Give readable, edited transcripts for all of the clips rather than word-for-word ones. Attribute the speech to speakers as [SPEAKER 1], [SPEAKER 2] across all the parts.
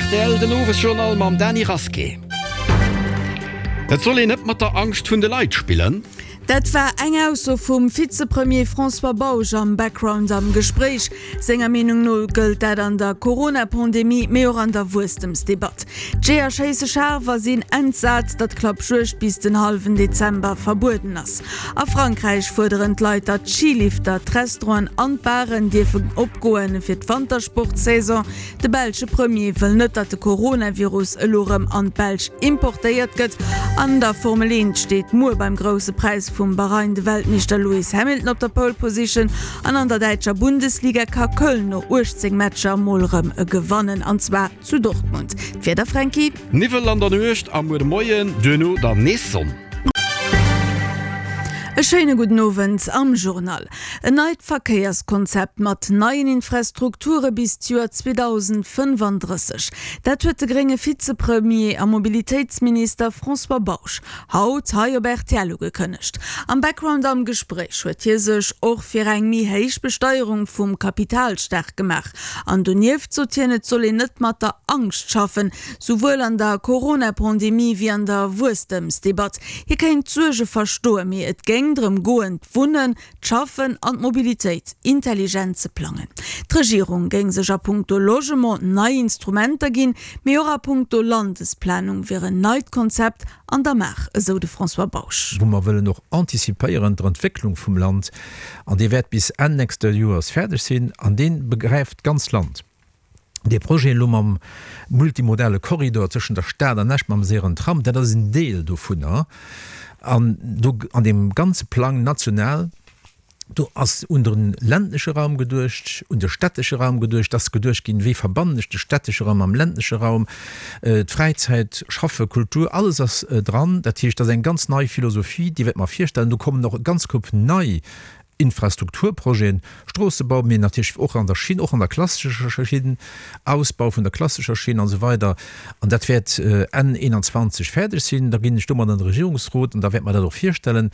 [SPEAKER 1] Rtl, den Owesjournal mam Dany Rasqué. Et soll een net mat der Angscht vun de Leit spillen.
[SPEAKER 2] Dat war eng Ausso vum Vizepremier François Bausch am Background am Gespréich. Senger Meenung no gëllt dat an der Corona-Pandemie, mee och an der Wuesstemsdebatt. D'Jeeër schéisse schaarf a sinn entsat, datt d'Klappjuegd bis den hallwen Dezember verbueden ass. A Frankräich fuerderen d'Leit, datt d'Skilifter, d'Restauranten an d'Baren dierfen opgoen fir d'Wantersportsaison. De belsche Premier wëll net, datt de Coronavirus elo rëm an d'Belsch importéiert gëtt. An der Formel 1 steet muer beim Grousse Präis vum Bahrain de Weltmeeschter Lewis Hamilton op der Pole Position an an der däitscher Bundesliga ka Köln no 18 Matcher mol rëm gewannen an zwar zu Dortmund. D'Wieder, Fränki?
[SPEAKER 1] Niwwel an der Nuecht a muer de Moien, duerno dann nees Sonn.
[SPEAKER 2] E schéine gudden Owend am Journal. En neit Verkéierskonzept mat neien Infrastrukture bis d'Joer 2035, dat huet de grénge Vizepremier a Mobilitéitsminister François Bausch haut hei op rtl ugekënnegt. Am Background am Gespréich huet hie sech och fir eng méi héich Besteierung vum Kapital staark gemaach. An donieft sot hien, et soll een net mat der Angscht schaffen, souwuel an der Corona-Pandemie wéi an der Wuesstemsdebatt. Hie kéint d'Suerge verstoen, mee et géing drëm goen, d'Wunnen, d'Schaffen an d'Mobilitéit intelligent ze plangen. D'Regierung géing sech a punkto Logement nei Instrumenter ginn, mee och a punkto Landesplanung wier en neit Konzept an der Maach, esou de François Bausch.
[SPEAKER 3] Wou mer wëllen och antizipéieren d'Entwécklung vum Land, an dee wäert bis Enn nächste Joers fäerdeg sinn, an dee begräift d'ganz Land. Dee Projet elo mam multimodale Korridor tëschent der Stad an Esch mam séieren Tram, dat ass en Deel dovunner. An do an deem ganze Plang national, do ass un de ländleche Raum geduecht, un de stättesche Raum geduecht, et ass geduecht ginn, wéi verbannen ech de stättesche Raum mam ländleche Raum, d'Fräizäit, Schaffe, Kultur, alles ass dran. Dat heescht, dat ass eng ganz nei Philosophie, déi wäerte mer virstellen. Do kommen och e ganz Koup nei Infrastrukturprojeten, Stroossebau, mee natierlech och an der Schinn, och an der klassescher Schinn, Ausbau vun der klassescher Schinn an esou weider. An dat wäert Enn 21 fäerdeg sinn. Da ginn ech domat an de Regierungsrot an da wäerte mer dat och virstellen.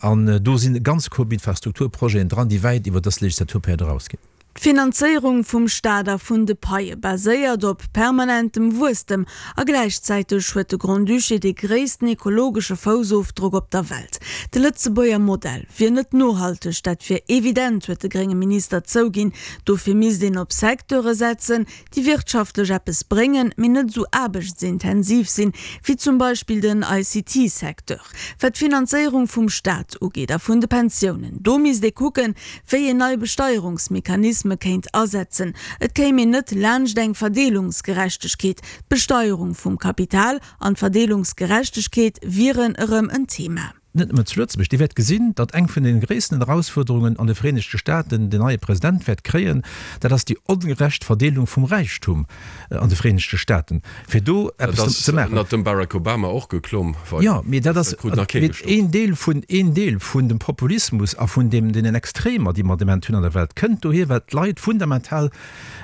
[SPEAKER 3] An do sinn e ganze Koup Infrastrukturprojeten dran, déi wäit iwwer dës Legislaturperiod erausginn.
[SPEAKER 2] D'Finanzéierung vum Staat a vun de Paie baséiert op permanentem Wuesstem a gläichzäiteg huet de Grand-Duché dee gréissten ekologesche Foussofdrock op der Welt. De Lëtzebuerger Modell wier net nohalteg, dat wier evident, huet de grénge Minister zouginn. Dofir misst een op Secteure setzen, déi wirtschaftlech eppes bréngen, mee net esou aarbechtsintensiv sinn, wéi zum Beispill den ICT-Secteur. Wat d'Finanzéierung vum Staat ugeet a vun de Pensiounen, do misst ee kucken, wéi een nei Besteierungsmechanisme kéint asetzen. Et kéim een net laanscht eng Verdeelungsgerechtegkeet. D'Besteierung vum Kapital an d'Verdeelungsgerechtegkeet wieren erëm en Thema.
[SPEAKER 3] Net nëmmen zu Lëtzebuerg. Dir wäert gesinn, datt eng vun de gréissten Erausfuerderungen an de Vereenegte Staaten den neie President wäert kréien, dat ass déi ongerecht Verdeelung vum Räichtum an de Vereenegte Staaten, fir do eppes ze maachen.
[SPEAKER 4] Dat ass ënnert dem Barack Obama och geklomm.
[SPEAKER 3] Jo, mee dat ass een Deel vun, een Deel vun dem Populismus a vun deem, deenen Extremer, déi mer de Moment hunn an der Welt, kënnt dohier, well d'Leit fundamental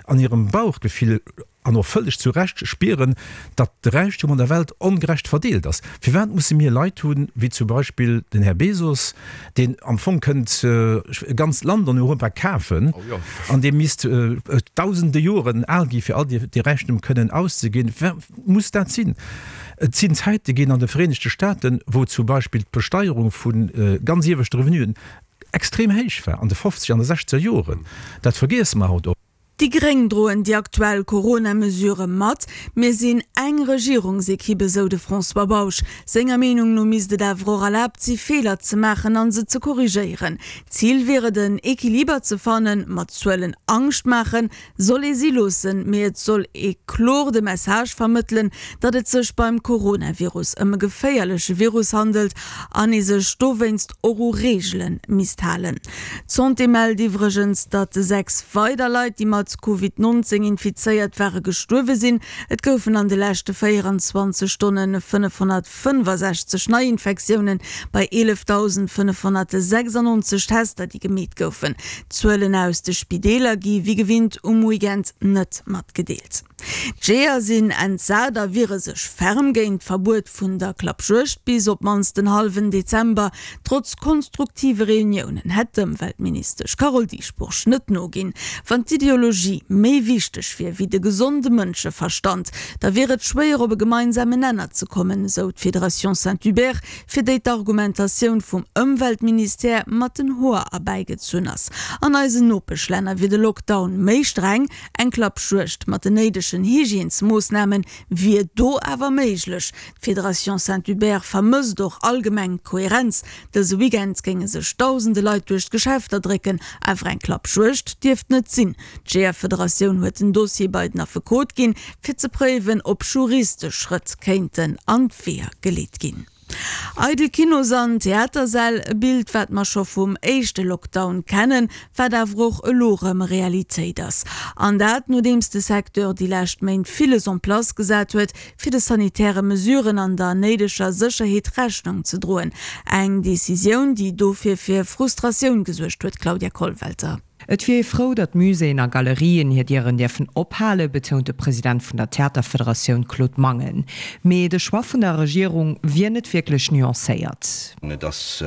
[SPEAKER 3] an hirem Bauchgefill, an och vëlleg zu Recht, spieren, datt de Räichtum an der Welt ongerecht verdeelt ass. Firwat musse mir Leit hunn, wéi zum Beispill den Här Bezos, deen am Fong kënnt e ganzt Land an Europa kafen an dee misst dausende Joren al gi fir all dee Räichtum kënnen auszeginn? Firwat muss dat sinn? Et sinn Zäite ginn an de Vereenegte Staaten, wou zum Beispill d'Besteierung vu ganz ieweschte Revenuen extrem héich war, an de fofzeger an de sechzeger Joren. Dat vergiesse mer haut och.
[SPEAKER 2] Déi Gréng droen déi aktuell Corona-Mesurë mat. Mir sinn eng Regierungsekipp, esou de François Bausch. Senger Meenung no misst et awer och erlaabt si Feeler ze maachen an se ze korrigéieren. Zil wier et en Equiliber ze fannen. Mat Zuelen Angscht maachen soll ee si loossen, mee et soll ee kloer de Message vermëttelen, datt et sech beim Coronavirus ëm e geféierleche Virus handelt an ee sech dowéinst och u Reegele misst halen. D'Santé mellt iwwregens, datt 6 weider Leit, déi mat Covid 19 infizéiert ware, gestuerwe sinn. Et goufen an de leschte 24 Stonne 565 Neiinfektiounen bei 11.596 Tester, déi gemeet goufen. D'Zuelen aus de Spideeler gi wéi gewinnt um Weekend net matgedeelt. D'Jeeër sinn entsat a wiere sech ferm géint d'Verbuet vun der Klappjuegd bis op d'mannst den hallwen Dezember. Trotz konstruktive Reuniounen hätt d'Ëmweltministesch Carole Dieschbourg net noginn. Wann d'Ideologie. Ideologie méi wichteg wier wéi de gesonde Mënscheverstand, da wier et schwéier op e gemeinsame Nenner ze kommen, esou d'Fédération Saint-Hubert, fir déi d'Argumentatioun vum Ëmweltministère mat den Hoer erbäigezunn ass. An eisen Nopeschlänner wier de Lockdown méi streng, eng Klappjuegd mat den néidegen Hygiènesmoossname wier do awer méiglech. D'Fédération Saint-Hubert vermësst och allgemeng d'Kohärenz. Dëse Weekend géinge sech dausende Leit duerch d'Geschäfter drécken, awer eng Klappjuegd dierft net sinn. D'Jeeërfederatioun huet den Dossier bei den Affekot ginn, fir ze préiwen, ob juristesch Schrëtt kéinten an d'Weeër geleet ginn. Eidel Kinos an Theatersäll, e Bild, wat mer scho vum éischte Lockdown kennen, wat awer och elo erëm Realitéit ass. An dat, nodeems de Secteur déi lescht Méint villes en place gesat huet, fir de sanitäre Mesuren an der néideger Sécherheet Rechnung ze droen. Eng Decisioun, déi dofir fir Frustratioun gesuergt huet, Claudia Kollwelter.
[SPEAKER 5] Et wier ee frou, datt Muséeën a Galerien hir Dieren dierfen ophalen, betount de President vun der Theaterfederatioun Claude Mangen. Mee de Choix vun der Regierung wier net wierklech nuancéiert.
[SPEAKER 6] Et ass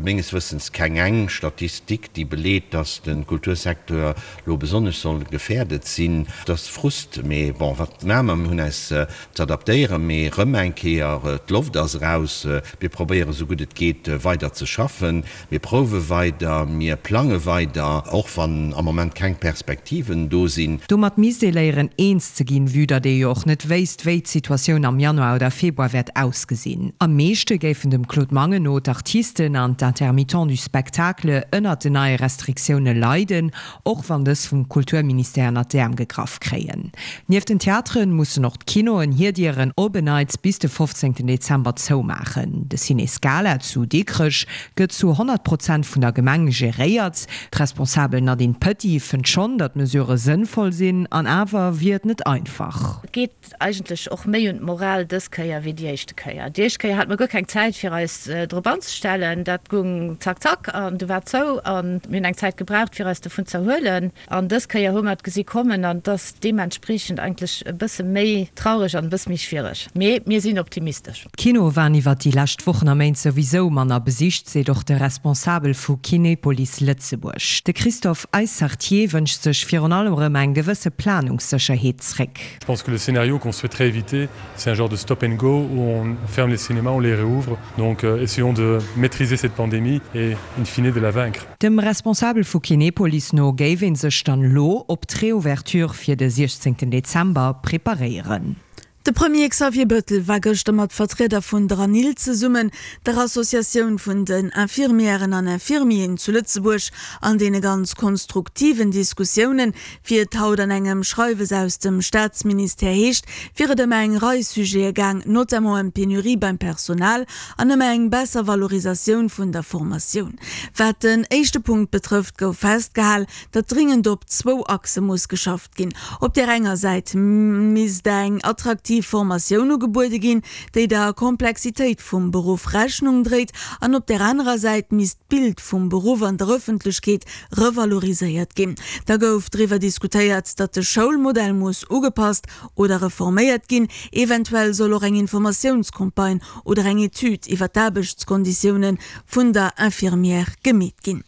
[SPEAKER 6] menges Wëssens keng eng Statistik, déi beleet, datt de Kultursecteur lo besonnesch soll gefährdet sinn. Et ass Frust, mee bon, wat maache mer? Mir hunn äis z'adaptéieren, mee erëm eng Kéier, d'Loft ass eraus. Mir probéieren esou gutt et geet weider ze schaffen. Mir prouwe weider, mir plange weider, och wann am Moment keng Perspektiven do sinn.
[SPEAKER 5] Domat misst ee léieren eens ze ginn, vue datt ee jo och net wéisst, wéi d'Situatioun am Januar oder Februar wäert ausgesinn. Am meeschte géifen dem Claude Mangen no d'Artisten an d'Intermittents du spectacle ënnert den neie Restriktioune leiden, och wann dës vum Kulturministère ënnert d'Äerm gegraff kréien. Nieft den Theatere mussen och d'Kinoen hir Dieren op en Neits bis de 15 Dezember zoumaachen. De Ciné Scala zu Dikrech gëtt zu 100 Prozent vun der Gemeng geréiert. D'Responsabel Nadine Petit fënnt schonn, datt d'Mesurë sënnvoll sinn, an awer wier et net einfach.
[SPEAKER 7] Et geet eigentlech och méi un d'Moral dës Kéier wéi déi éischte Kéier. Déi éischt Kéier hate mer guer keng Zäit fir eis drop anzestellen. Dat gung zack zack an du war et zou an mir hunn eng Zäit gebraucht fir eis dovun z'erhuelen. An dës Kéier hu mer et gesi kommen an et ass deementspriechend eigentlech e bësse méi traureg an e bësse méi schwiereg. Mee mir sinn optimistesch.
[SPEAKER 5] D'Kinoe waren iwwert déi lescht Wochen a Méint souwisou manner besicht, seet och de Responsabel vu Kinepolis Lëtzebuerg. De Christophe Eissartier wënscht sech virun allem erëm eng gewësse Planungssécherheet zréck.
[SPEAKER 8] Je pense que le scénario qu'on souhaiterait éviter, c'est un genre de stop and go où on ferme les cinémas, on les réouvre. Donc euh, essayons de maîtriser cette pandémie et in fine de la vaincre.
[SPEAKER 5] Dem Responsabel vu Kinepolis no géif ee sech dann elo op d'Reouverture fir de 16 Dezember preparéieren.
[SPEAKER 2] De Premier Xavier Bettel war gëschter mat Vertrieder vun der ANIL zesummen, der Associatioun vun den Infirmièren an Infirmieren zu Lëtzebuerg. An deene ganz konstruktiven Diskussiounen, wéi et haut an engem Schreiwes aus dem Staatsministère heescht, wier et ëm eng Rei Sujete gaang, notamment ëm d'Penurie beim Personal an ëm eng besser Valorisatioun vun der Formatioun. Wat den éischte Punkt betrëfft, gouf festgehal, datt dringend op zwou Achse muss geschafft ginn. Op där enger Säit misst eng attraktiv Formatioun ugebuede ginn, déi der Komplexitéit vum Beruff Rechnung dréit, an op där anerer Säit misst d'Bild vum Beruff an der Ëffentlechkeet revaloriséiert ginn. Da gouf driwwer diskutéiert, datt de Schoulmodell muss ugepasst oder reforméiert ginn. Eventuell soll och eng Informatiounscampagne oder eng Etüd iwwer d'Aarbechtskonditioune vun der Infirmière gemeet ginn.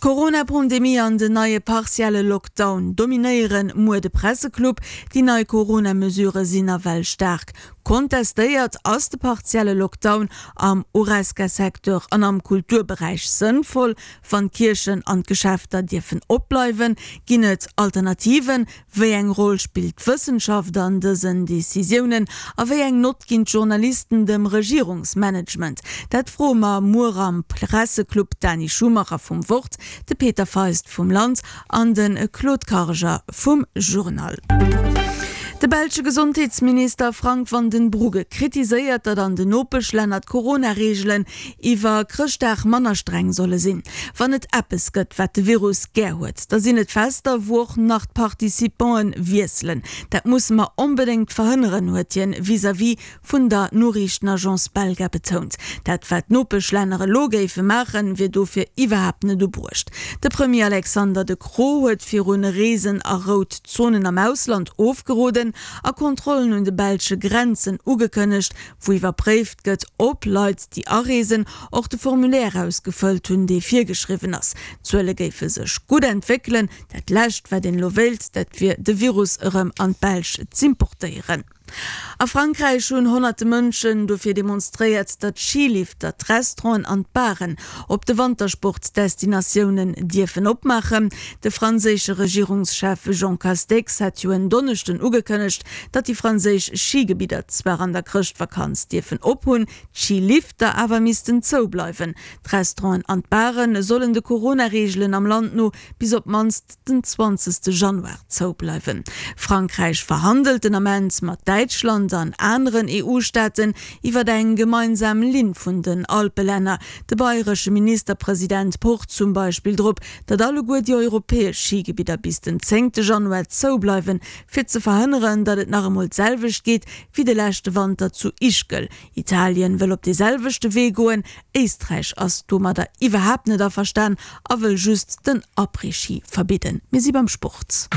[SPEAKER 2] D'Corona-Pandemie an den neie partielle Lockdown dominéiere muer de Presseclub. Déi nei Corona-Mesurë sinn nawell staark kontestéiert. Ass de partielle Lockdown am Horesca-Secteur an am Kulturberäich sënnvoll, wann d'Kierchen an d'Geschäfter dierfen opbleiwen? Ginn et Alternativen? Wéi eng Roll spillt d'Wëssenschaft an dësen Decisiounen a wéi eng Nott ginn d'Journalisten dem Regierungsmanagement? Dat froe mer muer am Presseclub d'Dani Schumacher vum Wort, de Peter Feist vum Land an de Claude Karger vum Journal. De belsche Gesondheetsminister Frank Vandenbroucke kritiséiert, datt an den Nopeschlänner d'Corona-Reegelen iwwer Chrëschtdag manner streng solle sinn. Wann et eppes gëtt, wat de Virus gär huet, da sinn et Fester, wou och nach d'Participanten wiesselen. Dat musse mer onbedéngt verhënneren, huet hien vis-à-vis vun der Noriichtenagence Belga betount. Dat wat d'Nopeschlänner elo géife maachen, wier dofir iwwerhaapt net ubruecht. De Premier Alexander De Croo huet virun Reesen a rout Zonen am Ausland ofgeroden. Mesuren a Kontrollen un de belsche Grenzen ugekënnegt, wou iwwerpréift gëtt, ob Leit, déi areesen, och de Formulaire ausgefëllt hunn, dee virgeschriwwen ass. D'Zuele géife sech gutt entwéckelen. Dat Lescht, wat een elo wéilt, dat wier de Virus erëm an d'Belsch z'importéieren. A Frankräich hunn honnerte Mënschen dofir demonstréiert, datt d'Schilifter, d'Restauranten an d'Baren op de Wantersportdestinatiounen dierfen opmaachen. De franséische Regierungschef Jean Castex hat jo en Donneschden ugekënnegt, datt déi franséisch Schigebidder zwar an der Chrëschtvakanz dierfen ophunn, d'Schilifter awer missten zoubleiwen. D'Restauranten an d'Bare sollen de Corona-Reegelen am Land no bis op d'mannst den 20 Januar zoubleiwen. Frankräich verhandelt den Ament mat Däitschland an aneren EU-Staaten iwwer eng gemeinsam Linn vun den Alpelänner. De bayresche Ministerpresident pocht zum Beispill drop, datt alleguer déi europäesch Schigebidder bis den 10 Januar zoubleiwen, fir ze verhënneren, datt et nach emol d'selwecht geet wéi de leschte Wanter zu Ischgl. Italien wëll op dee selwechte Wee goen, Éisträich ass domadder iwwerhaapt net averstan a wëll just den Après-Ski verbidden. Mir si beim Sport.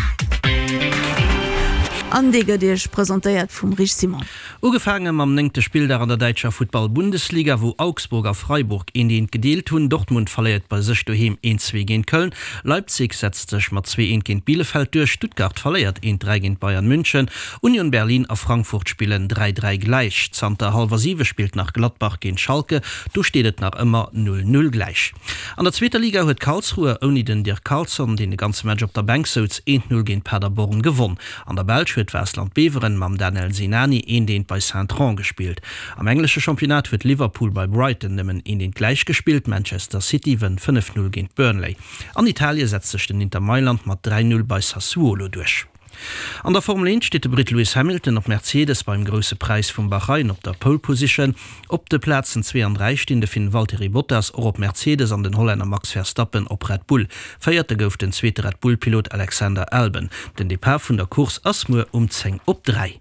[SPEAKER 2] An dee gëtt Iech presentéiert vum Rich Simon.
[SPEAKER 9] Ugefaange mam néngte Spilldag an der däitscher Futtball-Bundesliga, wou Augsburg a Freiburg eent eent gedeelt hunn. Dortmund verléiert bei sech doheem eent 2 géint Köln. Leipzig setzt sech mat 2 eent géint Bielefeld duerch. Stuttgart verléiert eent 3 géint Bayern München. Union Berlin a Frankfurt spillen 3 3 gläich. Zanter hallwer 7 spillt nach Gladbach géint Schalke, do steet et nach ëmmer 0 0 gläich. An der zweeter Liga huet Karlsruhe ouni den Dirk Carlson, deen de ganze Match op der Bänk souz, eent 0 géint Paderborn gewonn. An der Belsch huet Waasland Beveren mam Danel Sinani eent eent bei Saint-Trond gespillt. Am englesche Championnat huet Liverpool bei Brighton nëmmen eent eent gläich gespillt. Manchester City wënnt 5 0 géint Burnley. An Italie setzt sech den Inter Mailand mat 3 0 bei Sassuolo duerch. An der Formel 1 steet de Britt Lewis Hamilton op Mercedes beim Grousse Präis vum Bahrain op der Pole Position. Op de Plazen 2 an 3 stinn de Finn Valtteri Bottas, och op Mercedes, an den Hollänner Max Verstappen op Red Bull. Véierte gouf den zweete Red Bull-Pilot Alexander Albon. Den Depart vun der Course ass muer um 10 op 3.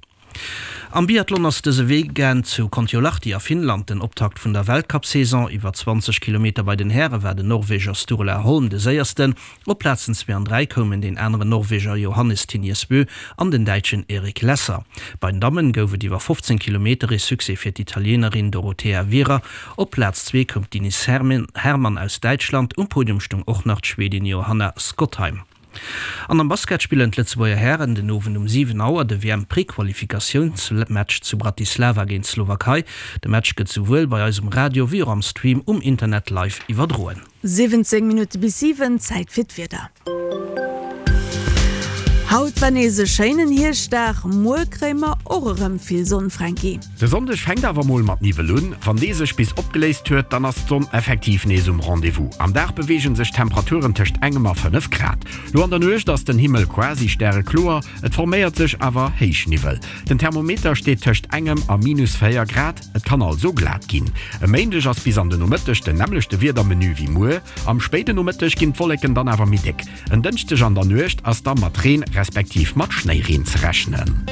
[SPEAKER 9] Am Biathlon ass dëse Weekend zu Kontiolahti a Finnland den Optakt vun der Weltcup-Saison. Iwwer 20 Kilometer bei den Häre war den Norweger Sturla Holm de Séiersten. Op Plazen 2 an 3 koumen deen aneren Norweger Johannes Thinius Bö an den Däitschen Erik Lesser. Bei den Dammen gouf et iwwer 15 Kilometer ee Succès fir d'Italienerin Dorothea Wierer. Op Plaz 2 koum d'Ines Herrmann aus Däitschland, um Podium stoung och nach d'Schwedin Johanna Skotheim. An am Basket spillen d'Lëtzebuerger Hären den Owend um 7 Auer de WM-Prequalifikatiounsmatch zu Bratislava géint d'Slowakei. De Match gëtt souwuel bei eis um Radio wéi och am Stream um Internet live iwwerdroen.
[SPEAKER 2] 17 Minutte bis 7, Zäit fir d'Wieder. Haut war nees e schéinen Hierschtdag, muer kréie mer och erëm vill Sonn, Franky.
[SPEAKER 1] De Sonndeg fänkt awer mol mat Niwwel un. Wann dee sech bis opgeléist huet, dann ass d'Sonn effektiv nees um Rendez-vous. Am Dag beweege sech d'Temperaturen tëscht engem a 5 Grad. Lo an der Nuecht ass den Himmel quasi stärekloer, et forméiert sech awer Héichniwwel. Den Thermometer steet tëscht engem a minus 4 Grad, et kann also glat ginn. E Méindeg ass bis an de Nomëtteg den nämmlechte Wiedermenu wéi muer. Am spéide Nomëtteg ginn d'Wolleken dann awer méi déck. En Dënschdeg an der Nuecht ass da mat Reen respektiv mat Schnéireen ze rechnen.